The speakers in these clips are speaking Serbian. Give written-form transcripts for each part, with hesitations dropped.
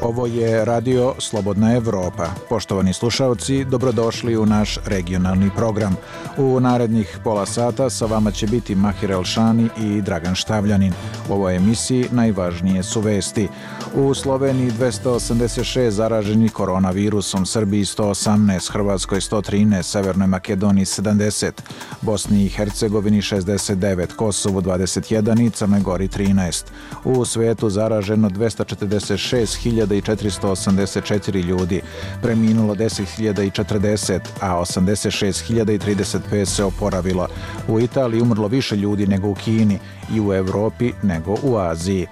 Ovo je Radio Slobodna Evropa. Poštovani slušalci, dobrodošli u naš regionalni program. U narednih pola sata sa vama će biti Mahir Elšani i Dragan Štavljanin. U ovoj emisiji najvažnije su vesti. U Sloveniji 286 zaraženih koronavirusom, Srbiji 118, Hrvatskoj 113, Severnoj Makedoniji 70, Bosni i Hercegovini 69, Kosovu 21 i Crnoj Gori 13. U svetu zaraženo 246.484 ljudi, preminulo 10.040, a 86.035 se oporavilo. U Italiji umrlo više ljudi nego u Kini i u Evropi nego u Aziji.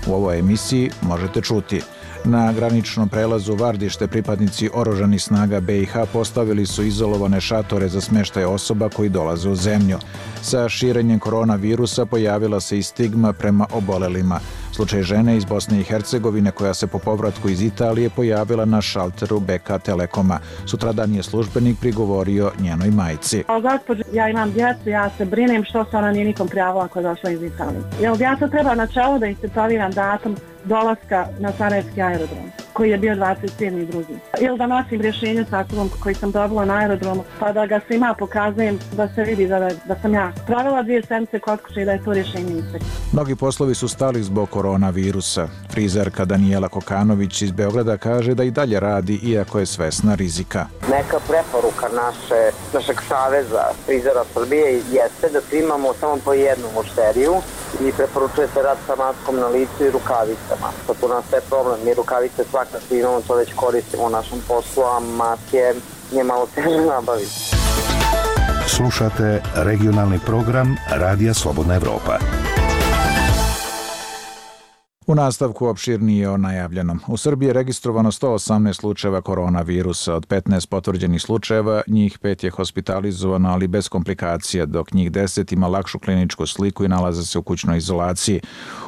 U ovoj emisiji možete čuti: na graničnom prelazu Vardište pripadnici oružanih snaga BiH postavili su izolovane šatore za smještaj osoba koji dolaze u zemlju. Sa širenjem koronavirusa pojavila se i stigma prema obolelima. Slučaj žene iz Bosne i Hercegovine koja se po povratku iz Italije pojavila na šalteru BK Telekoma. Sutradan je službenik prigovorio njenoj majci. Gospođo, ja imam djecu, ja se brinem što se ona nije nikom prijavila koja je došla iz Italije. Jel ja sad treba na čelo da instaliram datum dolaska na Sarajevski aerodrom, koji je bio 27.2. Ili da nosim rješenje sa sobom koji sam dobila na aerodromu, pa da ga svima pokazujem da se vidi da sam ja pravila 2 sedmice kod kuće i da je to rješenje istek. Mnogi poslovi su stali zbog koronavirusa. Frizerka Danijela Kokanović iz Beograda kaže da i dalje radi iako je svesna rizika. Neka preporuka našeg saveza frizera Srbije jeste da primamo samo po jednu mušteriju i preporučuje se rad sa maskom na licu i rukavicama. To tu nastaje problem, mi rukavice svakako imamo, to već koristimo u našem poslu, a maske je malo teže nabaviti. Slušate regionalni program Radija Slobodna Evropa. U nastavku opširnije o najavljenom. U Srbiji je registrovano 118 slučajeva koronavirusa. Od 15 potvrđenih slučajeva, njih 5 je hospitalizovano, ali bez komplikacija, dok njih 10 ima lakšu kliničku sliku i nalaze se u kućnoj izolaciji.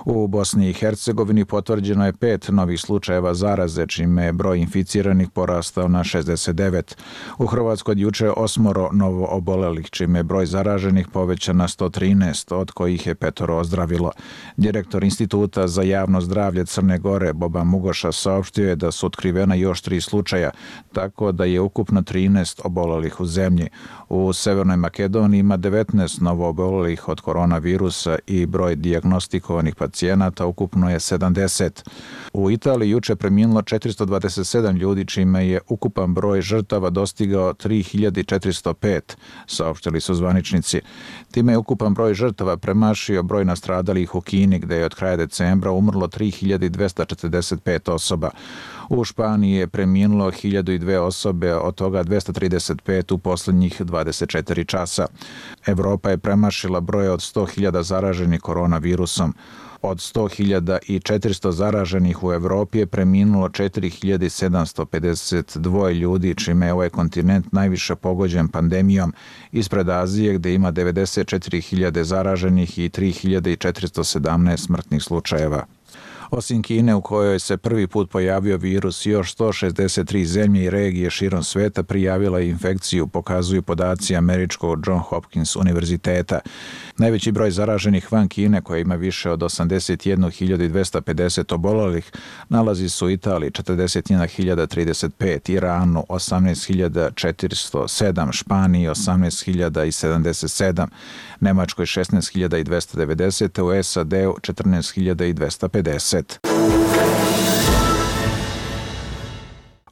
U Bosni i Hercegovini potvrđeno je 5 novih slučajeva zaraze, čime je broj inficiranih porastao na 69. U Hrvatskoj od juče 8 novo obolelih, čime je broj zaraženih povećan na 113, od kojih je 5 ozdravilo. Direktor Instituta za javno zdravlje Crne Gore Boban Mugoša saopštio je da su otkrivena još 3 slučaja, tako da je ukupno 13 obolelih u zemlji. U Severnoj Makedoniji ima 19 novo obolelih od koronavirusa i broj dijagnostikovanih pacijenata ukupno je 70. U Italiji juče preminulo 427 ljudi, čime je ukupan broj žrtava dostigao 3405, saopštili su zvaničnici. Time je ukupan broj žrtava premašio broj nastradalih u Kini, gde je od kraja decembra umrlo 3245 osoba. U Španiji je preminulo 1002 osobe, od toga 235 u posljednjih 24 časa. Evropa je premašila broj od 100.000 zaraženih koronavirusom. Od 100.400 zaraženih u Evropi je preminulo 4.752 ljudi, čime je ovaj kontinent najviše pogođen pandemijom, ispred Azije gdje ima 94.000 zaraženih i 3.417 smrtnih slučajeva. Osim Kine, u kojoj se prvi put pojavio virus, još 163 zemlje i regije širom sveta prijavila infekciju, pokazuju podaci američkog John Hopkins univerziteta. Najveći broj zaraženih van Kine, koja ima više od 81.250 obolelih, nalazi se u Italiji 41.035, Iranu 18.407, Španiji 18.077, Nemačkoj 16.290, u SAD-u 14.250.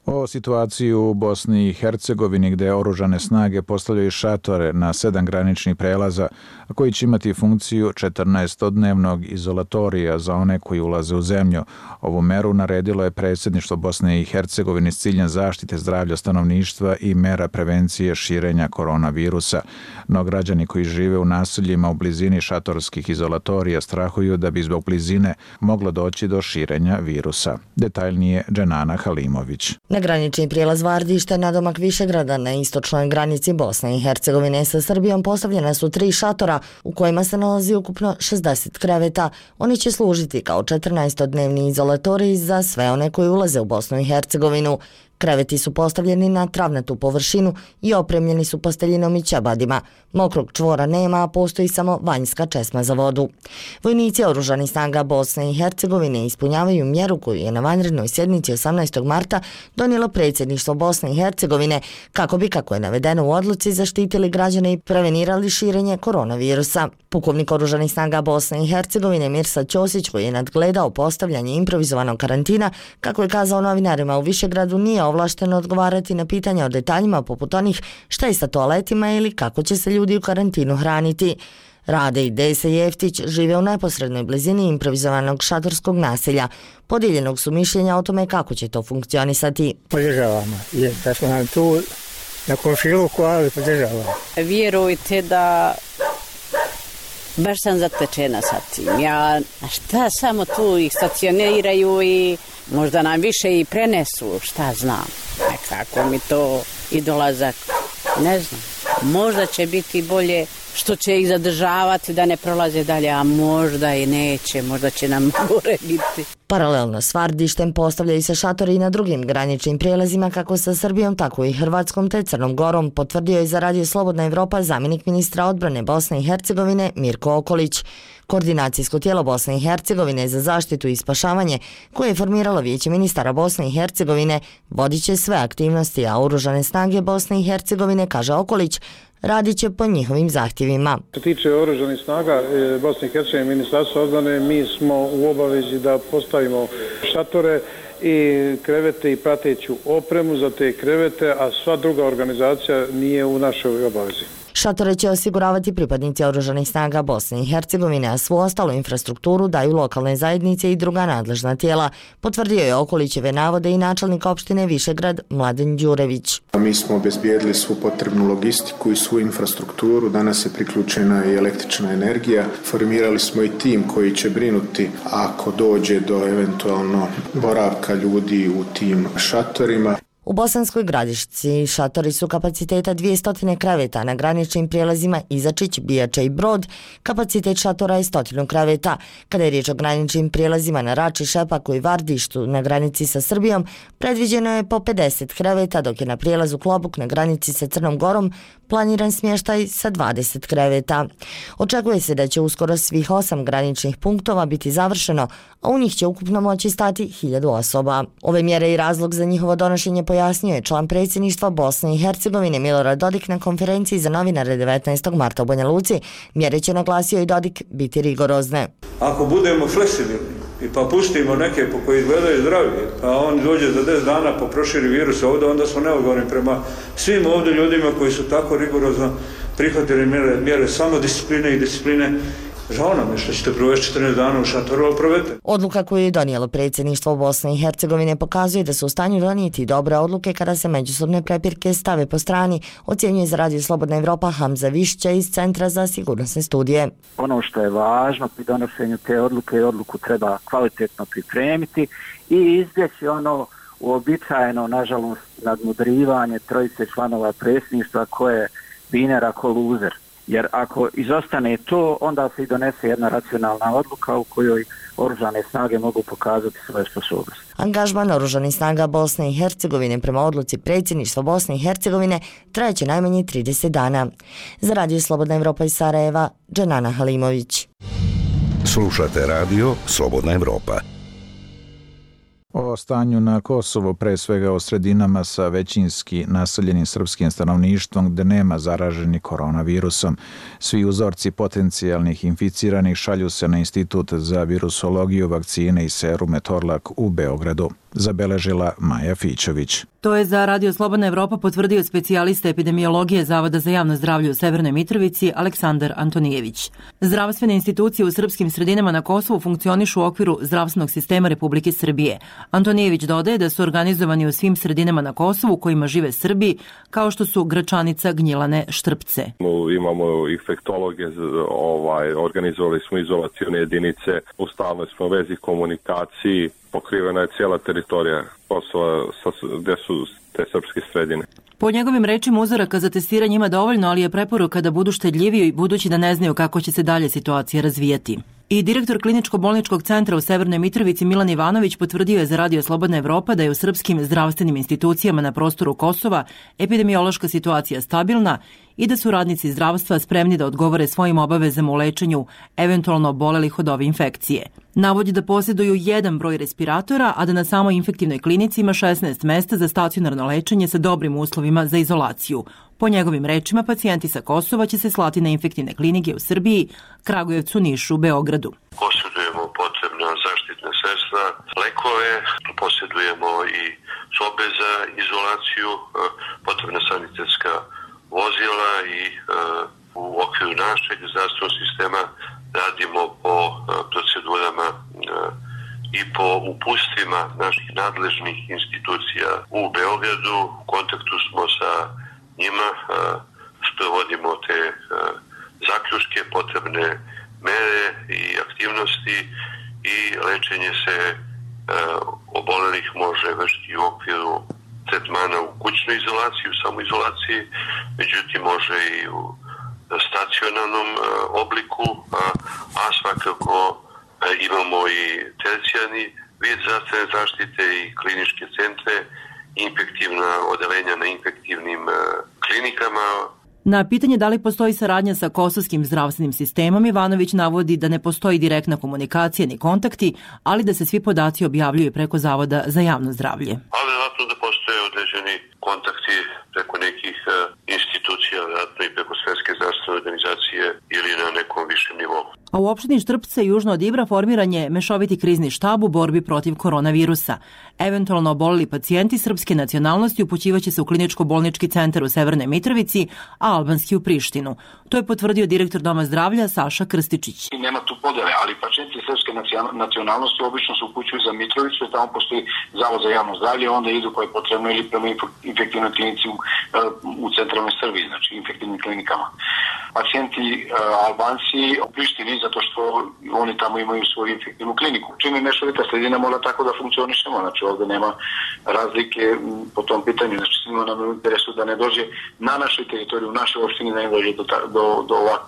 O situaciji u Bosni i Hercegovini, gdje oružane snage postavljaju šatore na 7 graničnih prelaza, koji će imati funkciju 14-dnevnog izolatorija za one koji ulaze u zemlju. Ovu meru naredilo je predsjedništvo Bosne i Hercegovine s ciljem zaštite zdravlja stanovništva i mera prevencije širenja koronavirusa. No građani koji žive u naseljima u blizini šatorskih izolatorija strahuju da bi zbog blizine moglo doći do širenja virusa. Detaljnije Dženana Halimović. Na granični prijelaz Vardište, nadomak Višegrada, na istočnoj granici Bosne i Hercegovine sa Srbijom postavljena su 3 šatora u kojima se nalazi ukupno 60 kreveta. Oni će služiti kao 14-dnevni izolatorij za sve one koji ulaze u Bosnu i Hercegovinu. Kreveti su postavljeni na travnatu površinu i opremljeni su posteljinom i ćebadima. Mokrog čvora nema, a postoji samo vanjska česma za vodu. Vojnici oružanih snaga Bosne i Hercegovine ispunjavaju mjeru koju je na vanrednoj sjednici 18. marta donijelo predsjedništvo Bosne i Hercegovine kako bi, kako je navedeno u odluci, zaštitili građane i prevenirali širenje koronavirusa. Pukovnik oružanih snaga Bosne i Hercegovine Mirsad Ćosić, koji je nadgledao postavljanje improvizovanog karantina, kako je kazao novinarima u Višegradu, nije ovlašteno odgovarati na pitanja o detaljima poput onih šta je sa toaletima ili kako će se ljudi u karantinu hraniti. Rade i Dese Jeftić žive u neposrednoj blizini improvizovanog šatorskog naselja. Podijeljenog su mišljenja o tome kako će to funkcionisati. Podržavamo, da smo nam tu na komšiluku, ali podržavamo. Vjerujte da baš sam zatečena sa tim. Ja, šta samo tu ih stacioniraju i možda nam više i prenesu, šta znam. Nekako mi to i dolazak, ne znam. Možda će biti bolje što će ih zadržavati da ne prolaze dalje, a možda i neće, možda će nam gore biti. Paralelno s Vardištem postavljaju se šatori i na drugim graničnim prijelazima kako sa Srbijom, tako i Hrvatskom te Crnom Gorom, potvrdio je za Radio Slobodna Evropa zamjenik ministra odbrane Bosne i Hercegovine Mirko Okolić. Koordinacijsko tijelo Bosne i Hercegovine za zaštitu i spašavanje, koje je formiralo Vijeće ministara Bosne i Hercegovine, vodit će sve aktivnosti, a oružane snage Bosne i Hercegovine, kaže Okolić, radit će po njihovim zahtjevima. Što se tiče oružanih snaga Bosne i Hercegovine, Ministarstvo odbrane, mi smo u obavezi da postavimo šatore i krevete i prateću opremu za te krevete, a sva druga organizacija nije u našoj obavezi. Šatore će osiguravati pripadnici oružanih snaga Bosne i Hercegovine, a svu ostalu infrastrukturu daju lokalne zajednice i druga nadležna tijela, potvrdio je Okolićeve navode i načelnik opštine Višegrad Mladen Đurević. Mi smo obezbijedili svu potrebnu logistiku i svu infrastrukturu, danas je priključena i električna energija. Formirali smo i tim koji će brinuti ako dođe do eventualno boravka ljudi u tim šatorima. U Bosanskoj Gradišci šatori su kapaciteta 200 kreveta, na graničnim prijelazima Izačić, Bijača i Brod kapacitet šatora je 100 kreveta. Kada je riječ o graničnim prijelazima na Rači, Šepaku i Vardištu na granici sa Srbijom, predviđeno je po 50 kreveta, dok je na prijelazu Klobuk na granici sa Crnom Gorom planiran smještaj sa 20 kreveta. Očekuje se da će uskoro svih 8 graničnih punktova biti završeno, a u njih će ukupno moći stati 1000 osoba. Ove mjere i razlog za njihovo donošenje pojasnio je član predsjedništva Bosne i Hercegovine Milorad Dodik na konferenciji za novinare 19. marta u Banja Luci. Mjere će, naglasio i Dodik, biti rigorozne. Ako budemo fleksibilni i pa pustimo neke po koji izgledaju zdravije, pa on dođe za 10 dana pa proširi virus ovdje, onda smo neodgovorni prema svim ovdje ljudima koji su tako rigorozno prihvatili mjere samodiscipline i discipline. Žao nam je što ćete provesti 14 dana u šatoru, ali provedete. Odluka koju je donijelo predsjedništvo Bosne i Hercegovine pokazuje da su u stanju donijeti dobre odluke kada se međusobne prepirke stave po strani, ocjenjuje za Radio Slobodna Evropa Hamza Višća iz Centra za sigurnosne studije. Ono što je važno pri donošenju te odluke, odluku treba kvalitetno pripremiti i izbjeći ono uobičajeno, nažalost, nadmudrivanje trojice članova predsjedništva koje binera ko luzer. Jer ako izostane to, onda se i donese jedna racionalna odluka u kojoj oružane snage mogu pokazati svoje sposobnosti. Angažman oružanih snaga Bosne i Hercegovine prema odluci predsjedništva Bosne i Hercegovine trajeće najmanje 30 dana. Za Radio Slobodna Evropa iz Sarajeva, Dženana Halimović. Slušate Radio Slobodna Evropa. O stanju na Kosovu, pre svega o sredinama sa većinski naseljenim srpskim stanovništvom gde nema zaraženih koronavirusom. Svi uzorci potencijalnih inficiranih šalju se na Institut za virusologiju, vakcine i serume Torlak u Beogradu, zabeležila Maja Fićović. To je za Radio Slobodna Evropa potvrdio specijalista epidemiologije Zavoda za javno zdravlje u Severnoj Mitrovici Aleksandar Antonijević. Zdravstvene institucije u srpskim sredinama na Kosovu funkcionišu u okviru zdravstvenog sistema Republike Srbije. Antonijević dodaje da su organizovani u svim sredinama na Kosovu u kojima žive Srbi, kao što su Gračanica, Gnjilane, Štrpce. Imamo infektologe, organizovali smo izolacione jedinice, u stalnoj smo vezi komunikaciji, pokrivena je cijela teritorija Kosova gdje su te srpske sredine. Po njegovim rečima uzoraka za testiranje ima dovoljno, ali je preporuka da budu štedljiviji budući da ne znaju kako će se dalje situacija razvijati. I direktor kliničko-bolničkog centra u Severnoj Mitrovici Milan Ivanović potvrdio je za Radio Slobodna Evropa da je u srpskim zdravstvenim institucijama na prostoru Kosova epidemiološka situacija stabilna i da su radnici zdravstva spremni da odgovore svojim obavezama u lečenju eventualno obolelih od ove infekcije. Navodi da posjeduju jedan broj respiratora, a da na samoj infektivnoj klinici ima 16 mesta za stacionarno lečenje sa dobrim uslovima za izolaciju. Po njegovim rečima, pacijenti sa Kosova će se slati na infektivne klinike u Srbiji, Kragujevcu, Nišu, Beogradu. Posjedujemo potrebna zaštitna sredstva, lekove, posjedujemo i sobe za izolaciju, potrebna sanitetska vozila i u okviru našeg zdravstvenog sistema radimo po procedurama i po upustvima naših nadležnih institucija u Beogradu. U kontaktu smo sa njima, sprovodimo te zaključke, potrebne mere i aktivnosti i lečenje se obolelih može vršiti u okviru tretmana u kućnoj izolaciji, u samoizolaciji, međutim može i u stacionarnom obliku, a svakako imamo i tercijarni vid zdravstvene zaštite i kliničke centre, infektivna odeljenja na infektivnim klinikama. Na pitanje da li postoji saradnja sa kosovskim zdravstvenim sistemom, Ivanović navodi da ne postoji direktna komunikacija ni kontakti, ali da se svi podaci objavljuju preko Zavoda za javno zdravlje. Ali vjerojatno da postoje određeni kontakti preko nekih institucija, vjerojatno i preko Svetske zdravstvene organizacije ili na nekom višem nivou. A u opštini Štrpce južno od Ibra formiran je mešoviti krizni štab u borbi protiv koronavirusa. Eventualno oboleli pacijenti srpske nacionalnosti upućivaće se u kliničko-bolnički centar u Severnoj Mitrovici, a albanski u Prištinu. To je potvrdio direktor Doma zdravlja Saša Krstičić. Nema tu podele, ali pacijenti srpske nacionalnosti obično se upućuju za Mitrovicu, jer tamo postoji Zavod za javno zdravlje, onda idu koje je potrebno ili prema infektivnoj klinici u centralnoj Srbiji, znači infektivnim klinikama. Pacijenti Albanci u Prištini, zato što oni tamo imaju svoju infektivnu kliniku. Čim je mešovita sredina, mora tako da funkcionišemo, znači ovde nema razlike po tom pitanju, znači svima nam je u interesu da ne dođe na našoj teritoriji, u našoj opštini, da ne dođe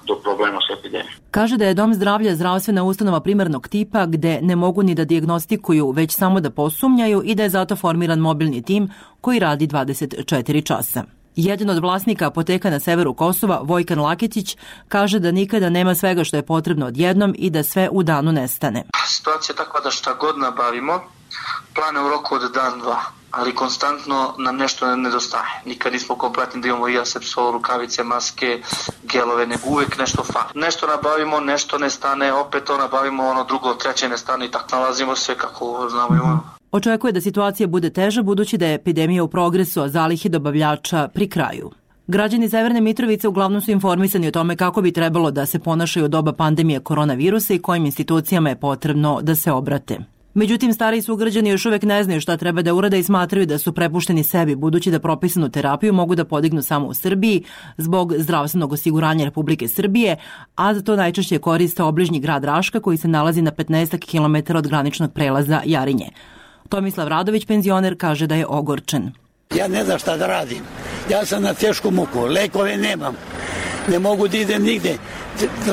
do problema s epidemijom. Kaže da je Dom zdravlja zdravstvena ustanova primarnog tipa gde ne mogu ni da dijagnostikuju, već samo da posumnjaju i da je zato formiran mobilni tim koji radi 24 časa. Jedan od vlasnika apoteka na severu Kosova, Vojkan Laketić, kaže da nikada nema svega što je potrebno odjednom i da sve u danu nestane. Situacija je takva da šta god nabavimo, plane u roku od dan, dva, ali konstantno nam nešto nedostaje. Nikad nismo kompletni da imamo i asepsol, rukavice, maske, gelove, nego uvijek nešto fali. Nešto nabavimo, nešto nestane, opet to nabavimo, drugo, treće nestane i tako nalazimo sve kako znamo i umemo. Očekuje da situacija bude teža budući da je epidemija u progresu, a zalihe dobavljača pri kraju. Građani Severne Mitrovice uglavnom su informisani o tome kako bi trebalo da se ponašaju u doba pandemije koronavirusa i kojim institucijama je potrebno da se obrate. Međutim, stariji sugrađani još uvek ne znaju šta treba da urade i smatraju da su prepušteni sebi, budući da propisanu terapiju mogu da podignu samo u Srbiji zbog zdravstvenog osiguranja Republike Srbije, a za to najčešće koriste obližnji grad Raška koji se nalazi na 15 km od graničnog prelaza Jarinje. Tomislav Radović, penzioner, kaže da je ogorčen. Ja ne znam šta da radim. Ja sam na tešku muku, lekove nemam. Ne mogu da idem nigde.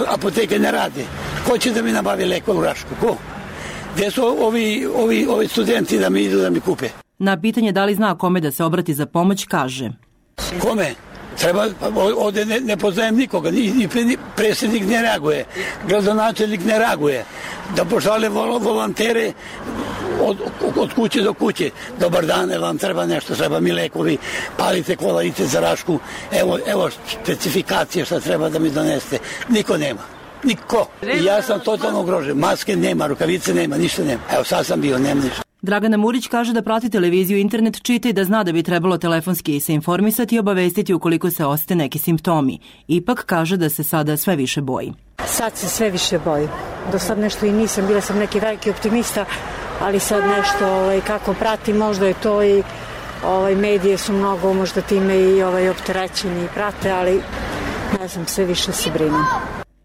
Apoteke ne rade. Ko će da mi nabavi lekove u Rašku? Ko? Gde su ovi studenti da mi idu da mi kupe? Na pitanje da li zna kome da se obrati za pomoć, kaže. Kome? Treba, ovde ne poznajem nikoga, ni predsjednik ne reaguje, gradonačelnik ne reaguje. Da pošalje volontere od kuće do kuće. Dobar dan, vam treba nešto, treba mi lekovi, palite kola, idite za Rašku, evo specifikacije šta treba da mi doneste. Niko nema. Niko. I ja sam totalno ugrožen. Maske nema, rukavice nema, ništa nema. Evo sad sam bio, nema ništa. Dragana Murić kaže da prati televiziju i internet, čita i da zna da bi trebalo telefonski se informisati i obavestiti ukoliko se osete neki simptomi. Ipak kaže da se sada sve više boji. Sad se sve više boji. Do sad nešto i nisam, bila sam neki veliki optimista, ali sad nešto kako pratim, možda je to i medije su mnogo možda time i opterećeni i prate, ali ne znam, sve više se brinem.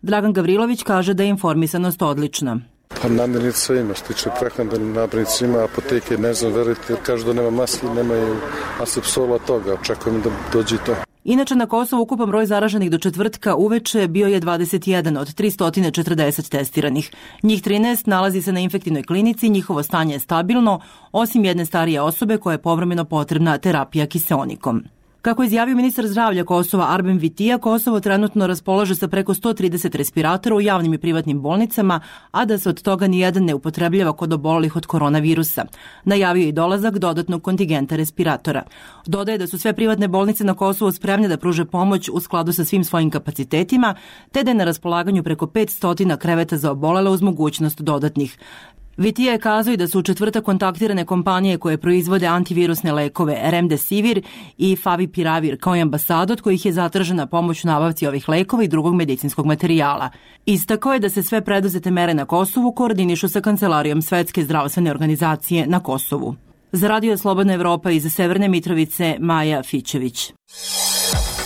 Dragan Gavrilović kaže da je informisanost odlična. Pa namirnica ima, što tiče prehrambenih namirnica ima, apoteke ne znam, verujte, kažu da nema maski, nemaju asepsola toga, očekujem da dođe to. Inače, na Kosovu ukupan broj zaraženih do četvrtka uveče bio je 21 od 340 testiranih. Njih 13 nalazi se na infektivnoj klinici, njihovo stanje je stabilno, osim jedne starije osobe koja je povremeno potrebna terapija kiseonikom. Kako je izjavio ministar zdravlja Kosova Arben Vitija, Kosovo trenutno raspolaže sa preko 130 respiratora u javnim i privatnim bolnicama, a da se od toga nijedan ne upotrebljava kod obolelih od koronavirusa. Najavio je i dolazak dodatnog kontingenta respiratora. Dodaje da su sve privatne bolnice na Kosovu spremne da pruže pomoć u skladu sa svim svojim kapacitetima, te da je na raspolaganju preko 500 kreveta za obolele uz mogućnost dodatnih. Vitija je kazao i da su u četvrtak kontaktirane kompanije koje proizvode antivirusne lekove Remdesivir i Favipiravir kao i ambasada od kojih je zatražena pomoć u nabavci ovih lekova i drugog medicinskog materijala. Istakao je da se sve preduzete mere na Kosovu koordinišu sa Kancelarijom Svetske zdravstvene organizacije na Kosovu. Za Radio Slobodna Evropa iz Severne Mitrovice, Maja Fićević.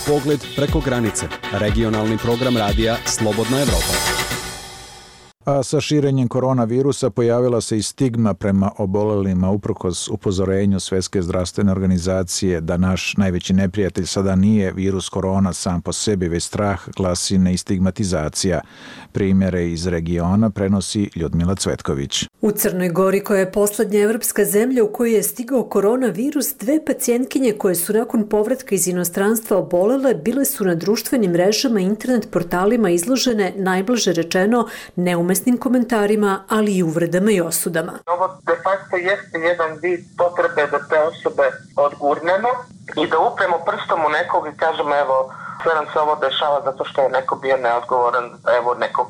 Pogled preko granice. Regionalni program radija Slobodna Evropa. A sa širenjem koronavirusa pojavila se i stigma prema obolelima uprkos upozorenju Svetske zdravstvene organizacije da naš najveći neprijatelj sada nije virus korona sam po sebi, već strah, glasine i stigmatizacija. Primjere iz regiona prenosi Ljudmila Cvetković. U Crnoj Gori, koja je poslednja evropska zemlja u kojoj je stigao koronavirus, 2 pacijentkinje koje su nakon povratka iz inostranstva obolele bile su na društvenim mrežama i internet portalima izložene, najblaže rečeno, neumesnim komentarima, ali i uvredama i osudama. Ovo de facto jeste jedan vid potrebe da te osobe odgurnemo i da upremo prstom u nekog i kažemo evo sve nam se ovo dešava zato što je neko bio neodgovoran, evo neko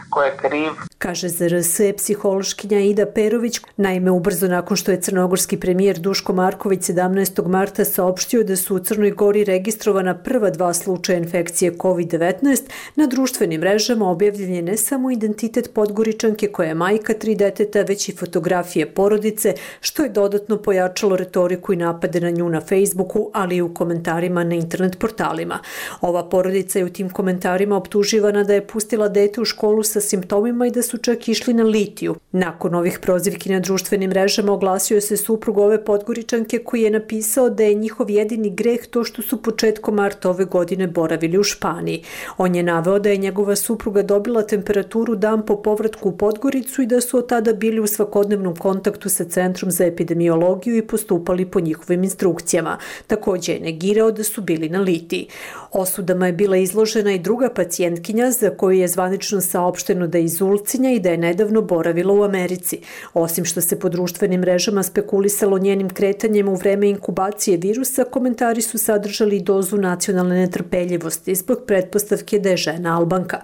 ko je kriv. Kaže za RS psihološkinja Ida Perović. Naime, ubrzo nakon što je crnogorski premijer Duško Marković 17. marta saopštio da su u Crnoj Gori registrovana prva 2 slučaja infekcije COVID-19, na društvenim mrežama objavljen je ne samo identitet Podgoričanke koja je majka 3 deteta, već i fotografije porodice, što je dodatno pojačalo retoriku i napade na nju na Facebooku, ali i u komentarima na internet portalima. Ova porodica je u tim komentarima optuživana da je pustila dete u školu sa simptomima i da su čak išli na litiju. Nakon ovih prozivki na društvenim mrežama oglasio se suprug ove Podgoričanke koji je napisao da je njihov jedini greh to što su početkom marta ove godine boravili u Španiji. On je naveo da je njegova supruga dobila temperaturu dan po povratku u Podgoricu i da su od tada bili u svakodnevnom kontaktu sa Centrom za epidemiologiju i postupali po njihovim instrukcijama. Također je negirao da su bili na litiji. Osudama je bila izložena i druga pacijentkinja za koju je zvanično saopšteno da je iz Ulcinja i da je nedavno boravila u Americi. Osim što se po društvenim mrežama spekulisalo njenim kretanjem u vreme inkubacije virusa, komentari su sadržali dozu nacionalne netrpeljivosti zbog pretpostavke da je žena Albanka.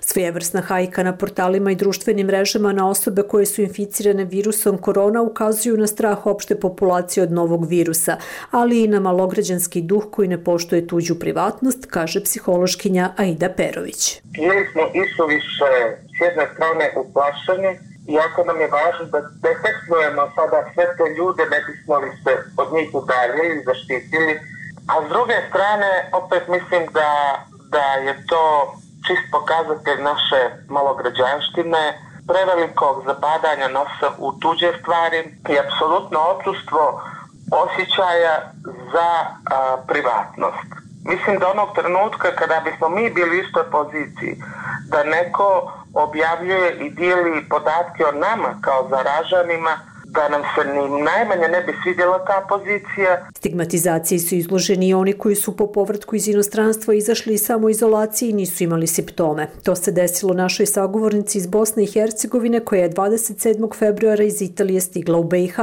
Svojevrsna hajka na portalima i društvenim mrežama na osobe koje su inficirane virusom korona ukazuju na strah opšte populacije od novog virusa, ali i na malograđanski duh koji ne poštuje tuđu privatnost, kaže psihološkinja Aida Perović. Bili smo isuviše s jedne strane uplašeni, iako nam je važno da detektujemo sada sve te ljude, ne bismo li se od njih udaljili i zaštitili. A s druge strane, opet mislim da je to čist pokazatelj naše malograđanštine, prevelikog zabadanja nosa u tuđe stvari i apsolutno odsustvo osjećaja za privatnost. Mislim da onog trenutka kada bismo mi bili u istoj poziciji, da neko objavljuje i dijeli podatke o nama kao zaraženima, da nam se ni najmanje ne bi svidjela ta pozicija. Stigmatizaciji su izloženi i oni koji su po povratku iz inostranstva izašli iz samoizolacije i nisu imali simptome. To se desilo našoj sagovornici iz Bosne i Hercegovine koja je 27. februara iz Italije stigla u BiH.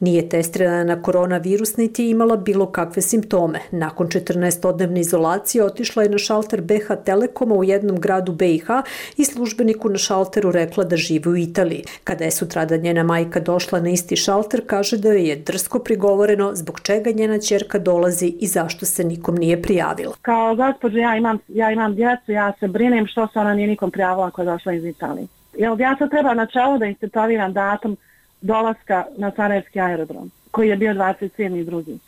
Nije testirana na koronavirus niti je imala bilo kakve simptome. Nakon 14-dnevne izolacije otišla je na šalter BH Telekoma u jednom gradu BiH i službeniku na šalteru rekla da živi u Italiji. Kada je sutradan njena majka došla na isti šalter, kaže da joj je drsko prigovoreno zbog čega njena ćerka dolazi i zašto se nikom nije prijavila. Kao gospođo, ja imam djecu, ja se brinem što se ona nije nikom prijavila ako je došla iz Italije. Jel ja sad treba na čelo da istetoviram datum dolaska na Sarajevski aerodrom, koji je bio 27.2.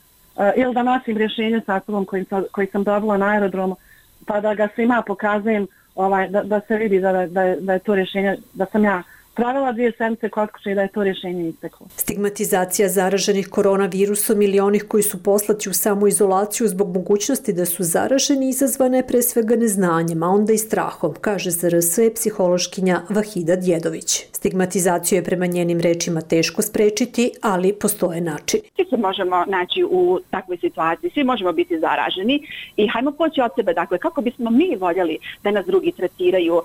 Ili da nosim rješenje sa sobom koji sam dobila na aerodromu, pa da ga svima pokazujem, da se vidi da je to rješenje, da sam ja pravila 2 sedmice kod kuće da je to rješenje isteklo. Stigmatizacija zaraženih koronavirusom ili onih koji su poslati u samoizolaciju zbog mogućnosti da su zaraženi izazvana je pre svega neznanjem, a onda i strahom, kaže ZRS psihološkinja Vahida Djedović. Stigmatizaciju je prema njenim rečima teško sprečiti, ali postoje načini. Svi se možemo naći u takvoj situaciji, svi možemo biti zaraženi i hajmo poći od sebe, dakle, kako bismo mi voljeli da nas drugi tretiraju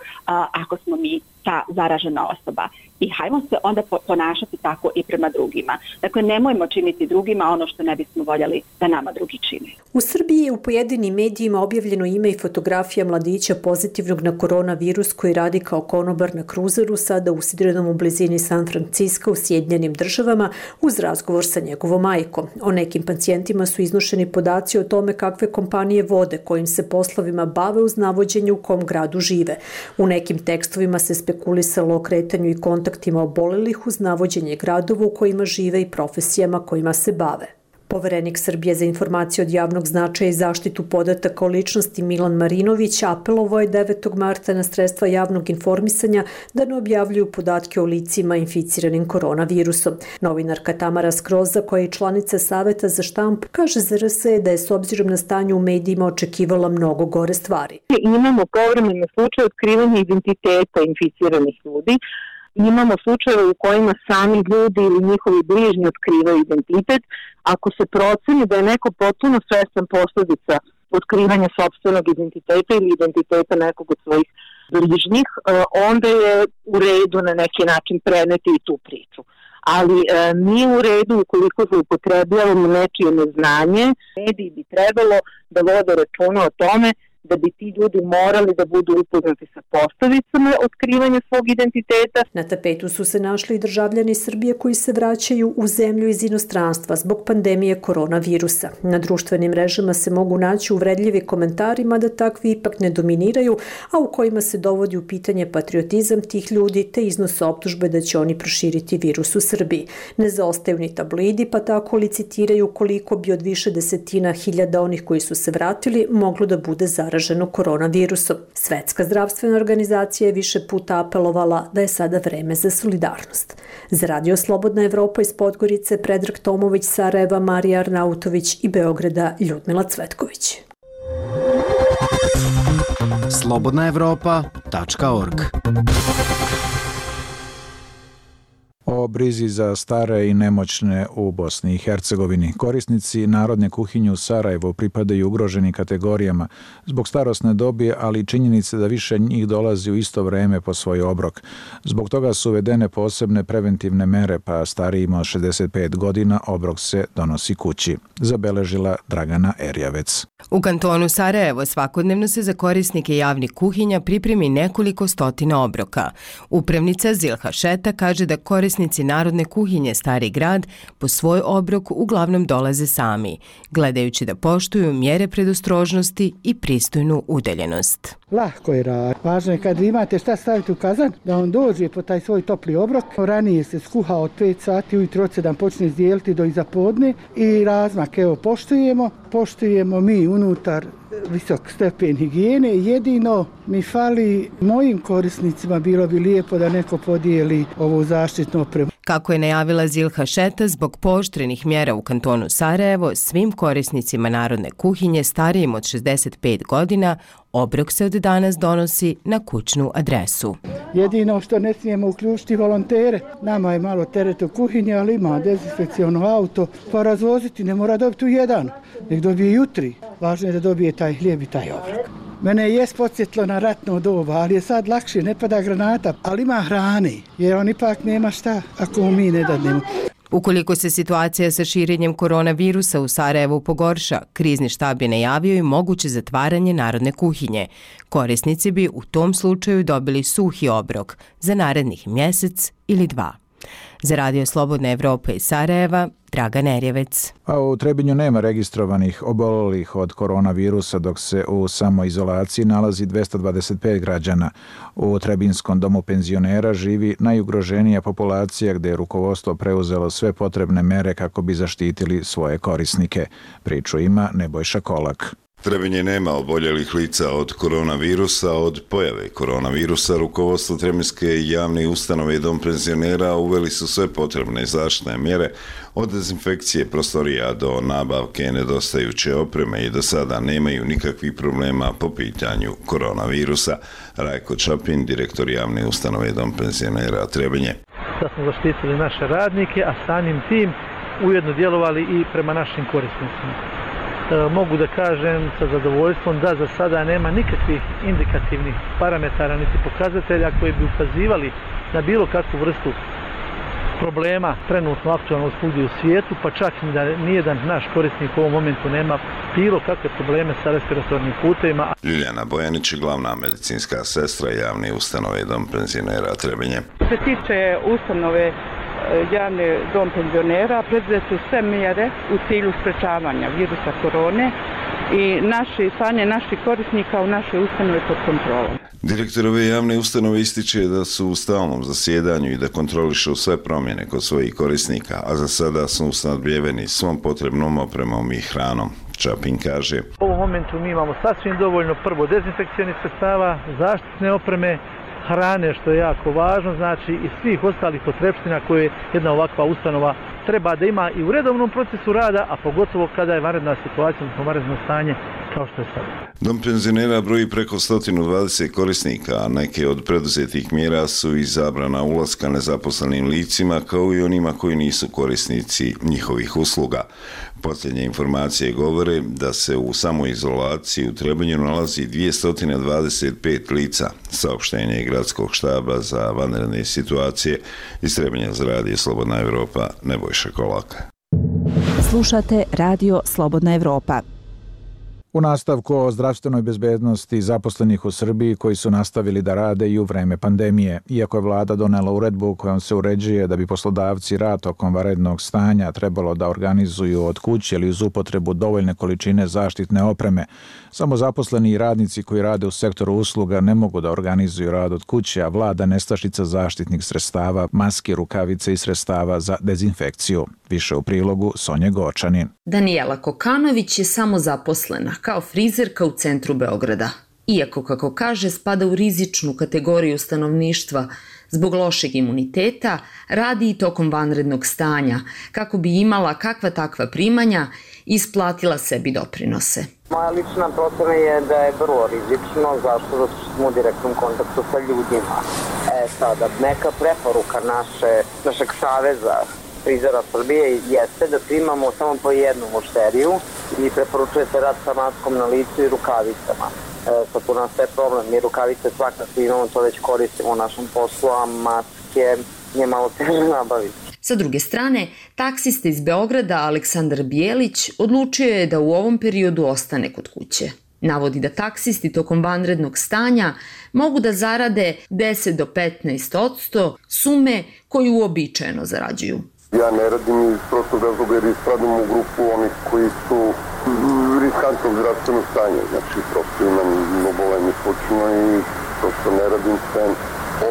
ako smo mi ta zaražena osoba. I hajmo se onda ponašati tako i prema drugima. Dakle, nemojmo činiti drugima ono što ne bismo voljeli da nama drugi čine. U Srbiji je u pojedinim medijima objavljeno ime i fotografija mladića pozitivnog na koronavirus koji radi kao konobar na kruzeru, sada usidrenom u blizini San Francisco u Sjedinjenim Državama, uz razgovor sa njegovom majkom. O nekim pacijentima su iznošeni podaci o tome kakve kompanije vode, kojim se poslovima bave uz navođenje u kom gradu žive. U nekim tekstovima se spekulisalo o kretanju i kontaktima obolelih uz navođenje gradova u kojima žive i profesijama kojima se bave. Poverenik Srbije za informacije od javnog značaja i zaštitu podataka o ličnosti Milan Marinović apelovao je 9. marta na sredstva javnog informisanja da ne objavljuju podatke o licima inficiranim koronavirusom. Novinarka Tamara Skroza, koja je članica Saveta za štampu, kaže ZRS da je s obzirom na stanje u medijima očekivala mnogo gore stvari. Imamo povremene slučaje otkrivanja identiteta inficiranih ljudi. Imamo slučajeve u kojima sami ljudi ili njihovi bližnji otkrivaju identitet. Ako se proceni da je neko potpuno svestan posljedica otkrivanja sopstvenog identiteta ili identiteta nekog od svojih bližnjih, onda je u redu na neki način preneti i tu priču. Ali nije u redu ukoliko zloupotrebljavamo nečije neznanje. Mediji bi trebalo da vode računa o tome da bi ti ljudi morali da budu upoznati sa posledicama otkrivanja svog identiteta. Na tapetu su se našli i državljani Srbije koji se vraćaju u zemlju iz inostranstva zbog pandemije koronavirusa. Na društvenim mrežama se mogu naći uvredljivi komentari, mada takvi ipak ne dominiraju, a u kojima se dovodi u pitanje patriotizam tih ljudi te iznose optužbe da će oni proširiti virus u Srbiji. Ne zaostaju ni tabloidi, pa tako licitiraju koliko bi od više desetina hiljada onih koji su se vratili moglo da bude zaraženo koronavirusom. Svetska zdravstvena organizacija je više puta apelovala da je sada vreme za solidarnost. Za Radio Slobodna Evropa iz Podgorice Predrag Tomović, Sarajeva Marija Arnautović i Beograda Ljudmila Cvetković. slobodnaevropa.org. O brizi za stare i nemoćne u Bosni i Hercegovini. Korisnici narodne kuhinje u Sarajevu pripadaju ugroženim kategorijama zbog starosne dobi, ali i činjenice da više njih dolazi u isto vreme po svoj obrok. Zbog toga su uvedene posebne preventivne mere, pa starijima od 65 godina obrok se donosi kući, zabeležila Dragana Erjavec. U kantonu Sarajevo svakodnevno se za korisnike javnih kuhinja pripremi nekoliko stotina obroka. Upravnica Zilha Šeta kaže da korisnici narodne kuhinje Stari grad po svoj obrok uglavnom dolaze sami, gledajući da poštuju mjere predostrožnosti i pristojnu udaljenost. Lahko je rad. Važno je kad imate šta staviti u kazan, da on dođe po taj svoj topli obrok. Ranije se skuha od 5 sati, ujutro od 7 počne izdijeliti do iza podne i razmak, evo, poštujemo mi unutar visok stepen higijene. Jedino mi fali mojim korisnicima, bilo bi lijepo da neko podijeli ovu zaštitnu opremu. Kako je najavila Zilha Šeta, zbog pooštrenih mjera u kantonu Sarajevo, svim korisnicima narodne kuhinje starijim od 65 godina obrok se od danas donosi na kućnu adresu. Jedino što ne smijemo uključiti volontere. Nama je malo teret u kuhinji, ali ima dezinfekciono auto, pa razvoziti ne mora dobiti u jedan, nek dobije jutri. Važno je da dobije taj hljeb i taj obrok. Mene je podsjetilo na ratno doba, ali je sad lakše, ne pada granata, ali ima hrane, jer on ipak nema šta ako mi ne dadnemo. Ukoliko se situacija sa širenjem koronavirusa u Sarajevu pogorša, krizni štab je najavio i moguće zatvaranje narodne kuhinje. Korisnici bi u tom slučaju dobili suhi obrok za narednih mjesec ili 2. Za Radio Slobodna Evropa iz Sarajeva, Dragan Erjavec. A u Trebinju nema registrovanih obolelih od koronavirusa, dok se u samoizolaciji nalazi 225 građana. U Trebinskom domu penzionera živi najugroženija populacija, gdje je rukovodstvo preuzelo sve potrebne mere kako bi zaštitili svoje korisnike. Priču ima Nebojša Kolak. Trebinje nema oboljelih lica od koronavirusa. Od pojave koronavirusa rukovodstvo Trebinjske javne ustanove i dom penzionera uveli su sve potrebne zaštitne mjere od dezinfekcije prostorija do nabavke nedostajuće opreme i do sada nemaju nikakvih problema po pitanju koronavirusa. Rajko Čapin, direktor javne ustanove i dom penzionera Trebinje. Da smo zaštitili naše radnike, a samim tim ujedno djelovali i prema našim korisnicima. Mogu da kažem sa zadovoljstvom da za sada nema nikakvih indikativnih parametara niti pokazatelja koji bi ukazivali na bilo kakvu vrstu problema trenutno aktualno svugdje u svijetu, pa čak i da nijedan naš korisnik u ovom momentu nema bilo kakve probleme sa respiratornim putevima. Ljiljana Bojanić je glavna medicinska sestra javne ustanove i dom penzionera Trebinje. Što se tiče ustanove javni dom penzionera, preduzete su sve mjere u cilju sprečavanja virusa korone i stanje naših korisnika u našoj ustanovi pod kontrolom. Direktor ove javne ustanove ističe da su u stalnom zasjedanju i da kontrolišu sve promjene kod svojih korisnika, a za sada su snadbijeveni svom potrebnom opremom i hranom. Čapin kaže: U ovom momentu mi imamo sasvim dovoljno prvo dezinfekcionih sredstava, zaštitne opreme, hrane, što je jako važno, znači i svih ostalih potrepština koje jedna ovakva ustanova treba da ima i u redovnom procesu rada, a pogotovo kada je vanredna situacija, odnosno vanredno stanje kao što je sada. Dom penzionera broji preko 120 korisnika, a neke od preduzetih mjera su i zabrana ulaska nezaposlenim licima kao i onima koji nisu korisnici njihovih usluga. Posljednje informacije govore da se u samoizolaciji u Trebinju nalazi 225 lica. Saopštenje Gradskog štaba za vanredne situacije iz Trebinja za radio Slobodna Evropa, Nebojša Kolaka. Slušate radio Slobodna Evropa. U nastavku o zdravstvenoj bezbednosti zaposlenih u Srbiji koji su nastavili da rade i u vreme pandemije. Iako je vlada donela uredbu kojom se uređuje da bi poslodavci rad tokom vanrednog stanja trebalo da organizuju od kuće ili uz upotrebu dovoljne količine zaštitne opreme, samo zaposleni i radnici koji rade u sektoru usluga ne mogu da organizuju rad od kuće, a vlada nestašica zaštitnih sredstava, maske, rukavice i sredstava za dezinfekciju. Više u prilogu Sonje Gočanin. Danijela Kokanović je samozaposlena kao frizerka u centru Beograda. Iako, kako kaže, spada u rizičnu kategoriju stanovništva, zbog lošeg imuniteta radi i tokom vanrednog stanja, kako bi imala kakva takva primanja i isplatila sebi doprinose. Moja lična procena je da je vrlo rizično, zašto? Zato što smo u direktnom kontaktu sa ljudima. Sada, neka preporuka našeg saveza frizera Srbije jeste da primamo samo po jednu mušteriju i preporučuje se rad sa maskom na licu i rukavicama. Sad tu nastaje problem, mi rukavice svakako imamo, to već koristimo u našem poslu, a maske je malo teže nabaviti. Sa druge strane, taksista iz Beograda Aleksandar Bijelić odlučio je da u ovom periodu ostane kod kuće. Navodi da taksisti tokom vanrednog stanja mogu da zarade 10 do 15% sume koju uobičajeno zarađuju. Ja ne radim iz prostog razloga jer spadam u grupu onih koji su riskantnog zdravstvenog stanja. Znači, prosto imam obolenje slučajno i prosto ne radim sve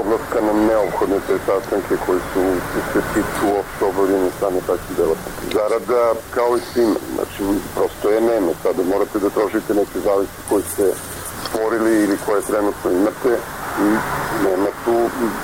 odlaska na neophodne te sastanke koji se tiču uopšte obavljanja stane takvih delatnosti. Zarada kao i svima, znači prosto je nema. Sada morate da trošite neke zavisi koje ste stvorili ili koje trenutno imate i nema tu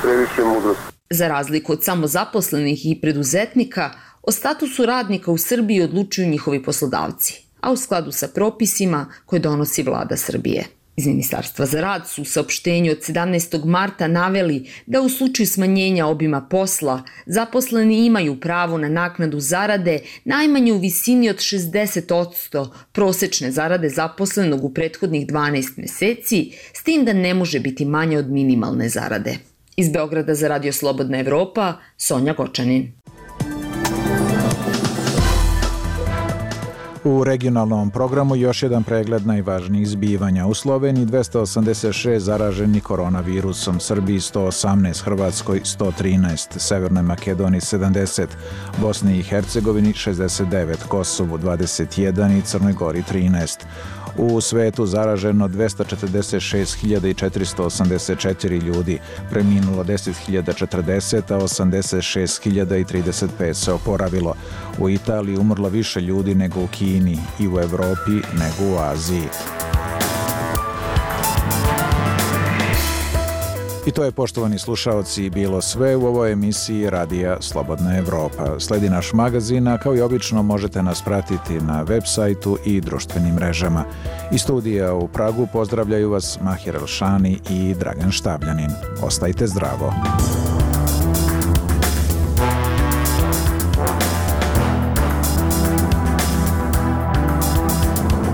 previše mudrosti. Za razliku od samozaposlenih i preduzetnika, o statusu radnika u Srbiji odlučuju njihovi poslodavci, a u skladu sa propisima koje donosi vlada Srbije. Iz Ministarstva za rad su u saopštenju od 17. marta naveli da u slučaju smanjenja obima posla zaposleni imaju pravo na naknadu zarade najmanje u visini od 60% prosečne zarade zaposlenog u prethodnih 12 meseci, s tim da ne može biti manje od minimalne zarade. Iz Beograda za radio Slobodna Evropa, Sonja Gočanin. U regionalnom programu još jedan pregled najvažnijih zbivanja. U Sloveniji 286 zaraženih koronavirusom, Srbiji 118, Hrvatskoj 113, Severnoj Makedoniji 70, Bosni i Hercegovini 69, Kosovu 21 i Crnoj Gori 13. U svetu zaraženo 246.484 ljudi, preminulo 10.040, a 86.035 se oporavilo. U Italiji umrlo više ljudi nego u Kini. Kini i u Evropi nego u Aziji. I to je, poštovani slušaoci, bilo sve u ovoj emisiji Radija Slobodna Evropa. Sledi naš magazin, a kao i obično možete nas pratiti na web sajtu i društvenim mrežama. Iz studija u Pragu pozdravljaju vas Mahir Elšani i Dragan Štabljanin. Ostajte zdravo.